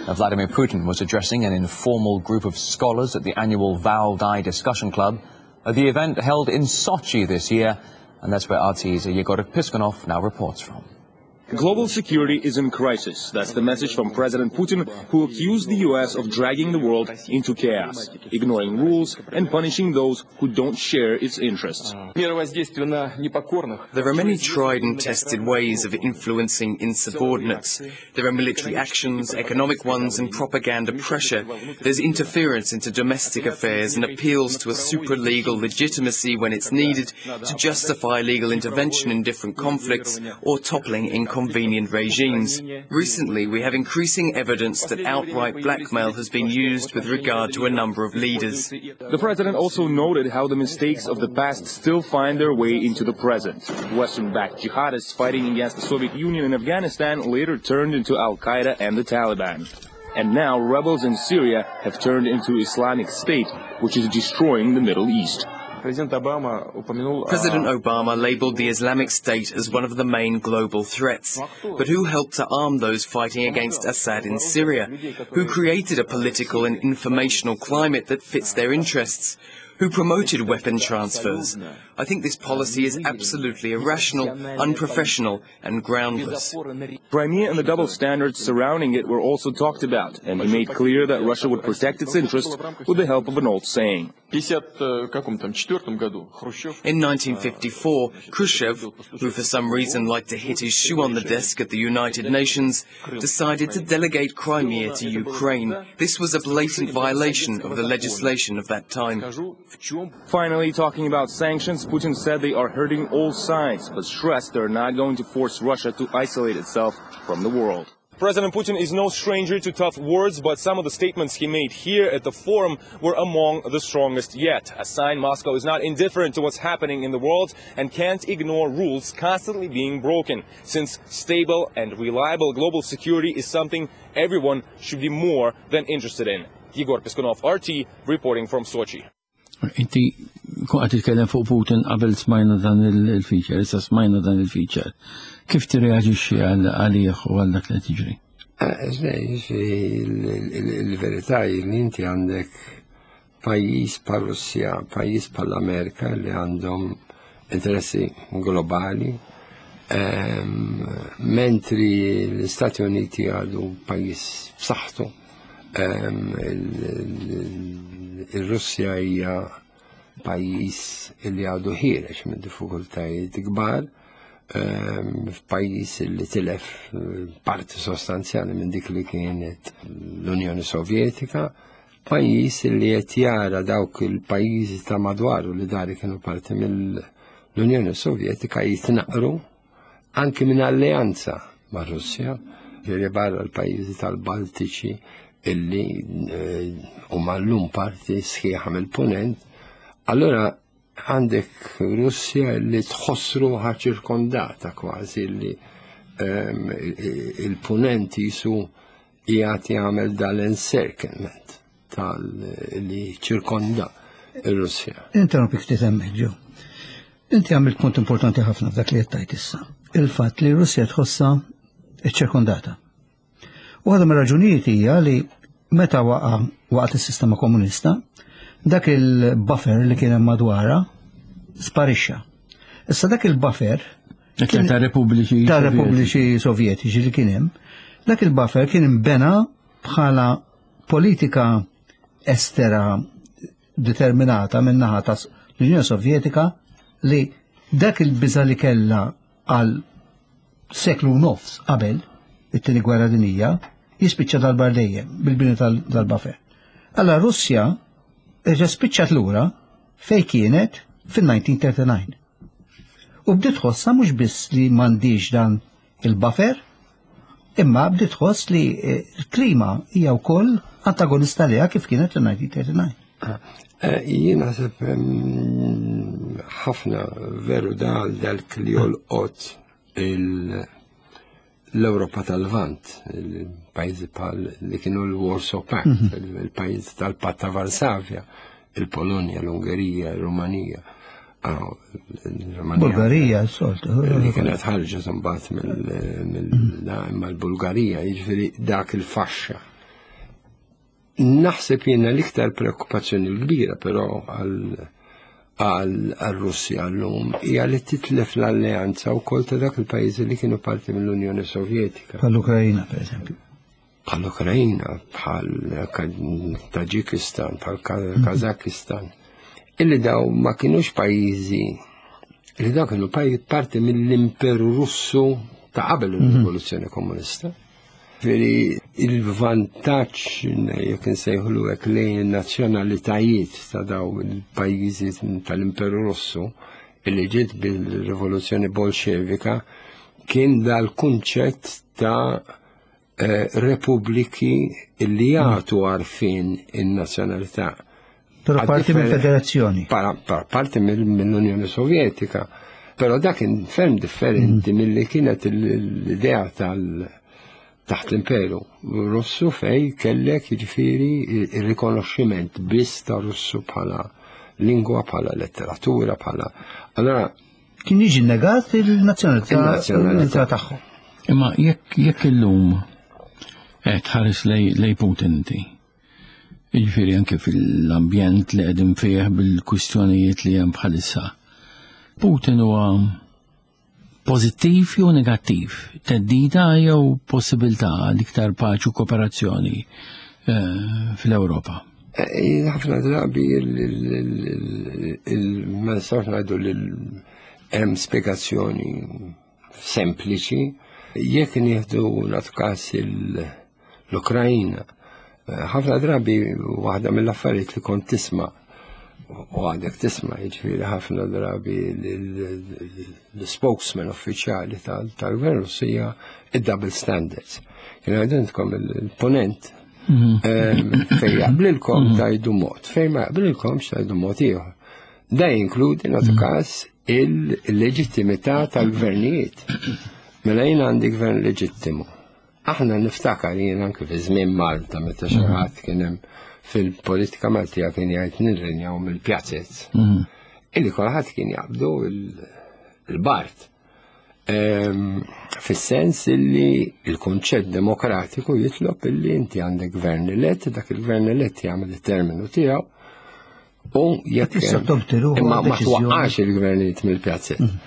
S9: Now, Vladimir Putin was addressing an informal group of scholars at the annual Valdai Discussion Club, at the event held in Sochi this year, and that's where RT's Yegor Piskunov now reports from.
S10: Global security is in crisis. That's the message from President Putin, who accused the U.S. of dragging the world into chaos, ignoring rules and punishing those who don't share its interests.
S11: There are many tried and tested ways of influencing insubordinates. There are military actions, economic ones, and propaganda pressure. There's interference into domestic affairs and appeals to a supra-legal legitimacy when it's needed to justify legal intervention in different conflicts or toppling inconvenient regimes. Recently, we have increasing evidence that outright blackmail has been used with regard to a number of leaders.
S10: The president also noted how the mistakes of the past still find their way into the present. Western-backed jihadists fighting against the Soviet Union in Afghanistan later turned into Al-Qaeda and the Taliban. And now rebels in Syria have turned into Islamic State, which is destroying the Middle East.
S11: President Obama labeled the Islamic State as one of the main global threats. But who helped to arm those fighting against Assad in Syria? Who created a political and informational climate that fits their interests? Who promoted weapon transfers? I think this policy is absolutely irrational, unprofessional, and groundless.
S10: Crimea and the double standards surrounding it were also talked about, and he made clear that Russia would protect its interests with the help of an old saying.
S11: In 1954, Khrushchev, who for some reason liked to hit his shoe on the desk at the United Nations, decided to delegate Crimea to Ukraine. This was a blatant violation of the legislation of that time.
S10: Finally, talking about sanctions, Putin said they are hurting all sides, but stressed they're not going to force Russia to isolate itself from the world. President Putin is no stranger to tough words, but some of the statements he made here at the forum were among the strongest yet. A sign Moscow is not indifferent to what's happening in the world and can't ignore rules constantly being broken, since stable and reliable global security is something everyone should be more than interested in. Igor Piskunov, RT, reporting from Sochi.
S2: Inti kun qed titkellem fuq Putin qabel smajna dan il-feature, issa smajna dan il-feature. Kif tirreaġixxi għalih u għal dak li tiġri?
S3: Eh, il-verità li inti għandek pajjiż bħal Russja, pajjiż bħal Amerika li għandhom interessi globali, ehm, mentri l-Istati Uniti għadu pajjiż b'saħħtu Il-Russja hija pajjiż li għadu ħiereġ minn diffikultajiet kbar, f'pajjiż li tilef eh, parti sostanzjali minn dik li kienet l-Unjoni Sovjetika, pajjiż li qed jara dawk il-pajjiżi ta' madwaru li dari kienu parti mill-Unjoni Sovjetika jitnaqru anki minn alleanza ma' Russja, ġifieri barra l-pajjiżi tal-Baltiċi illi eh, huma llum parti sħiħa mill-punent, allura għandek Russja li tħoss ruħha ċirkondata kważi li ehm, il-punent jisu qiegħed jagħmel dal-encirclement tal li ċirkonda ir-Russja.
S4: Interrompik ftit hemmhekk ġew. Inti għamilt punt importanti ħafna f'dak li qed issa. Il-fatt li r-Russja tħossha ċirkondata. U għadha mir-raġunijiet hija li meta waqa waqt is-sistema komunista, dak il-buffer li kien hemm madwarha sparixxa. Issa dak il-buffer
S2: ta' repubbliċi
S4: ta' repubbliċi sovjetiċi li kien hemm, dak il-buffer kien imbena bħala politika estera determinata minn naħa ta' l-Unjoni Sovjetika li dak il-biża li kellha għal seklu nofs qabel it-tieni gwerra dinija jispiċċa dal-bar dejjem bil-bini tal-buffer. Alla Russja reġa' spiċċat lura fej kienet fil-1939. U bdiet tħossha mhux biss li m'għandix dan il-buffer, imma bdiet tħoss li eh, l-klima hija wkoll antagonista liha kif kienet fil-1939.
S3: Eh, jien naħseb mm, ħafna veru dal dal li jolqot l-Europa tal-Lvant, il-pajjiżi bħal li kienu l-Warsaw Pact, mhm. il-pajjiżi tal-Patt ta' Varsavja, il-Polonja, l-Ungerija, il-Rumanija. Ah,
S4: Bulgarija, s-soltu.
S3: Li kienet ħarġet imbagħad mill-imma mhm. l-Bulgarija, jiġifieri dak il-faxxa. Naħseb jiena l-iktar preokkupazzjoni l-kbira però għal-Russja llum hija li titlef l-alleanza wkoll ta' dak il-pajjiżi li kienu parti mill-Unjoni Sovjetika.
S4: Bħall-Ukrajina, pereżempju.
S3: Bħall-Ukrajina, bħal Taġikistan, bħal Kazakistan. Illi daw ma kienux pajjiżi li daw kienu parti mill-Imperu Russu ta' qabel il-Rivoluzzjoni Komunista. Veri il-vantaġġ jekk insejħulu hekk lejn in-nazzjonalitajiet ta' daw il-pajjiżi tal-Imperu Russu illi ġiet bil-Rivoluzzjoni Bolxevika kien dal-kunċett ta' eh, repubbliki illi jagħtu għarfien in-nazzjonalità.
S4: Però parti mill-federazzjoni.
S3: Parti mill-Unjoni Sovjetika. Però dak kien ferm differenti mm. milli kienet l-idea tal- taħt l-imperu Russu fej kellek jiġifieri il-rikonoxximent biss ta' Russu bħala lingwa, bħala letteratura, bħala. Allora
S4: kien jiġi negat il-nazzjonalità tagħhom.
S2: Imma jekk jekk illum qed tħares lej Putin inti, Jiġifieri anke fil-ambjent li qegħdin fih bil-kwistjonijiet li hemm bħalissa. Putin huwa pożittiv jew negattiv, teddida jew possibilità għal iktar paċi u kooperazzjoni eh, fl-Ewropa?
S3: Eh, ħafna drabi ma nistgħux ngħidu li hemm spjegazzjoni sempliċi. Jekk nieħdu nagħtu każ l-Ukrajna, eh, ħafna drabi waħda mill-affarijiet li kont tisma' u għadek tisma' jiġifieri ħafna drabi l-spokesman uffiċjali tal-gvern Russu hija id-double standards. Jien għidintkom il-ponent mhm. ehm, fejn jaqblilkom mhm. tajdu mod, fejn ma jaqblilkom tajdu mod ieħor. Da jinkludi nagħtu mhm. każ il-leġittimità tal-gvernijiet. Mela jien għandi gvern leġittimu. Aħna niftakar jien anke fi żmien Malta meta xi ħadd kien hemm fil-politika Maltija kien jgħid nirrinjaw mill-pjazzez. Mhm. Illi kulħadd kien jaqbdu il-Bart. Ehm, fis-sens illi il-kunċett demokratiku jitlob illi inti għandek gvern elett, dak il-gvern elett jagħmel it-terminu tiegħu u jekk imma ma twaqqax il-gvernijiet mill-pjazzet. Mhm.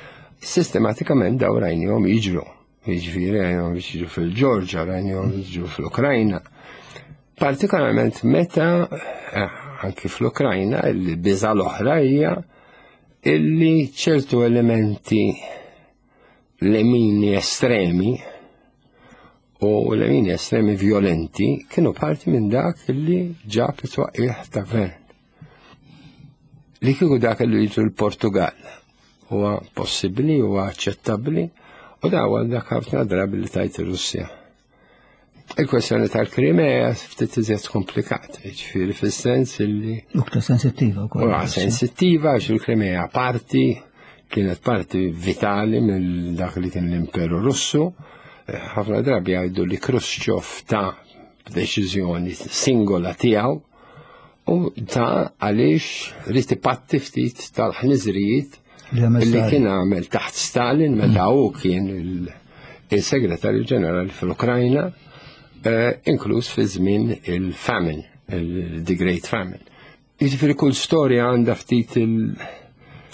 S3: Sistematikament daw rajnihom jiġru. Jiġifieri rajnihom jiġru fil-Ġorġa, rajnihom jiġru fl-Ukrajna. Partikolarment meta eh, anki fl-Ukrajna il-biża l-oħra hija illi ċertu elementi lemini estremi u lemini estremi violenti kienu parti minn dak illi ġab it-twaqqih ta' gvern. Li kieku dak li jiġu l-Portugal huwa possibbli, huwa aċċettabbli u da huwa dak ħafna drabi li tajt ir-Russja. Il-kwestjoni tal-Krimea ftit iżjed komplikat, ġifieri fis-sens illi.
S4: Uktar sensittiva
S3: wkoll. Huwa sensittiva għax il-Krimea parti kienet parti vitali mill dak li kien l-Imperu Russu. Ħafna drabi jgħidu li Khrushchev ta' deċiżjoni singola tiegħu u ta' għaliex rrid ipatti ftit tal-ħniżrijiet li kien għamel taħt Stalin meta mm. hu kien il-segretarju ġenerali fl-Ukrajna, eh, inkluż fi żmien il-famine, il-The Great Famine. Jiġifieri kull storja għandha ftit il-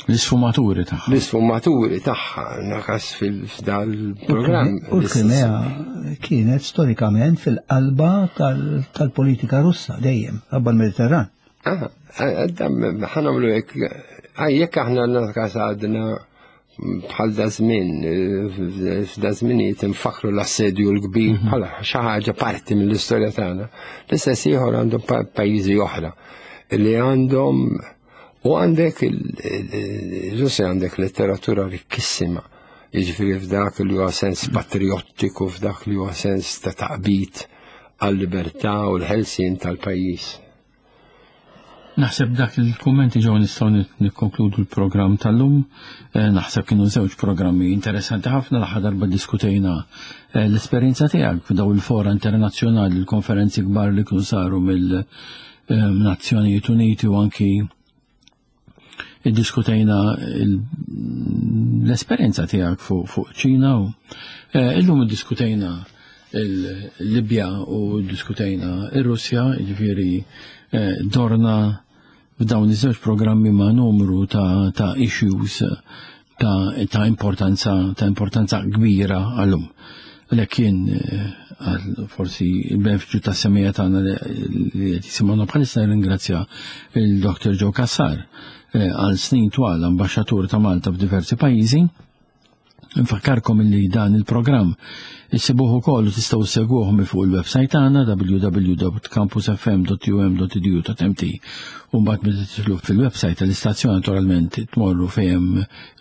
S2: L-isfumaturi tagħha.
S3: L-isfumaturi tagħha nakas fil-dal-programm.
S4: U l-Krimea kienet storikament fil-qalba tal-politika Russa dejjem, qabba l-Mediterran.
S3: Ah, ħanamlu hekk, jekk aħna nakas għadna bħal da żmien, f'da żminijiet infakkru l-assedju l-kbir mhm. bħala xi ħaġa parti mill-istorja tagħna. L-istess ieħor għandhom pajjiżi oħra li għandhom u għandek il-Russja għandek letteratura rikkissima. Jiġifieri f'dak li huwa sens patriottiku, f'dak li huwa sens ta' taqbit għal-libertà u l-ħelsien tal-pajjiż.
S2: Naħseb dak il-kummenti ġew nistgħu nikkonkludu l-programm tal-lum. Eh, naħseb kienu żewġ programmi interessanti ħafna l-aħħar darba diskutejna eh, l-esperjenza tiegħek f'daw il-fora internazzjonali, l-konferenzi kbar li kienu saru mill-Nazzjonijiet Uniti u anki iddiskutejna l-esperjenza tiegħek fuq ċina u eh, illum iddiskutejna il-Libja u diskutejna ir-Russja, jiġifieri eh, dorna f'dawn iż-żewġ programmi ma' numru ta', ta issues ta', ta importanza ta' importanza kbira għallum. Għalhekk kien eh, għal forsi il-benefiċċju ta' semija tagħna li qed jisimgħuna bħalissa nirringrazzja il-Dr. Joe Cassar eh, għal snin twal ambaxxatur ta' Malta f'diversi pajjiżi. Nfakkarkom li dan il-programm issibuh ukoll u tistgħu ssegwuh minn fuq il-website tagħna www.campusfm.um.edu.mt u mbagħad meta tidħlu fil-website tal-istazzjon naturalment tmorru fejn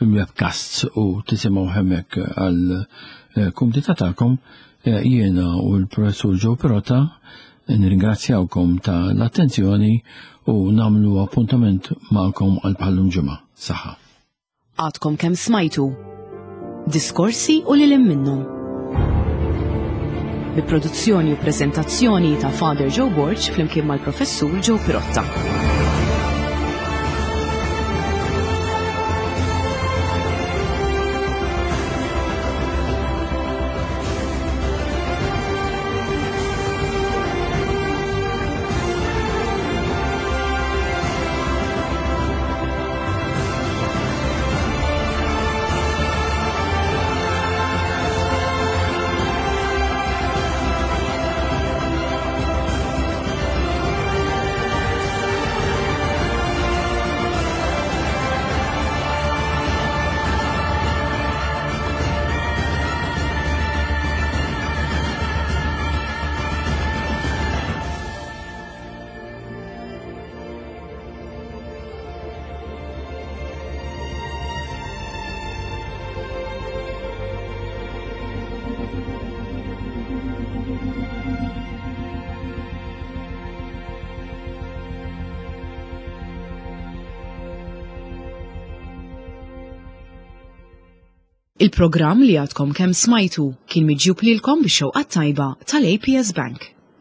S2: il-webcasts u tisimgħu hemmhekk għal eh, kumdità tagħkom eh, jiena u l-professur Joe Pirota nirringrazzjawkom ta' l-attenzjoni u nagħmlu appuntament magħkom għal bħallum ġimgħa. Saħħa.
S1: Għadkom kemm smajtu diskorsi u lil minnhom. Bi produzzjoni u preżentazzjoni ta' Father Joe Borg flimkien mal-Professur Joe Pirotta. Il-programm li għadkom kemm smajtu kien miġjub lilkom bix-xewqa tajba tal-APS Bank.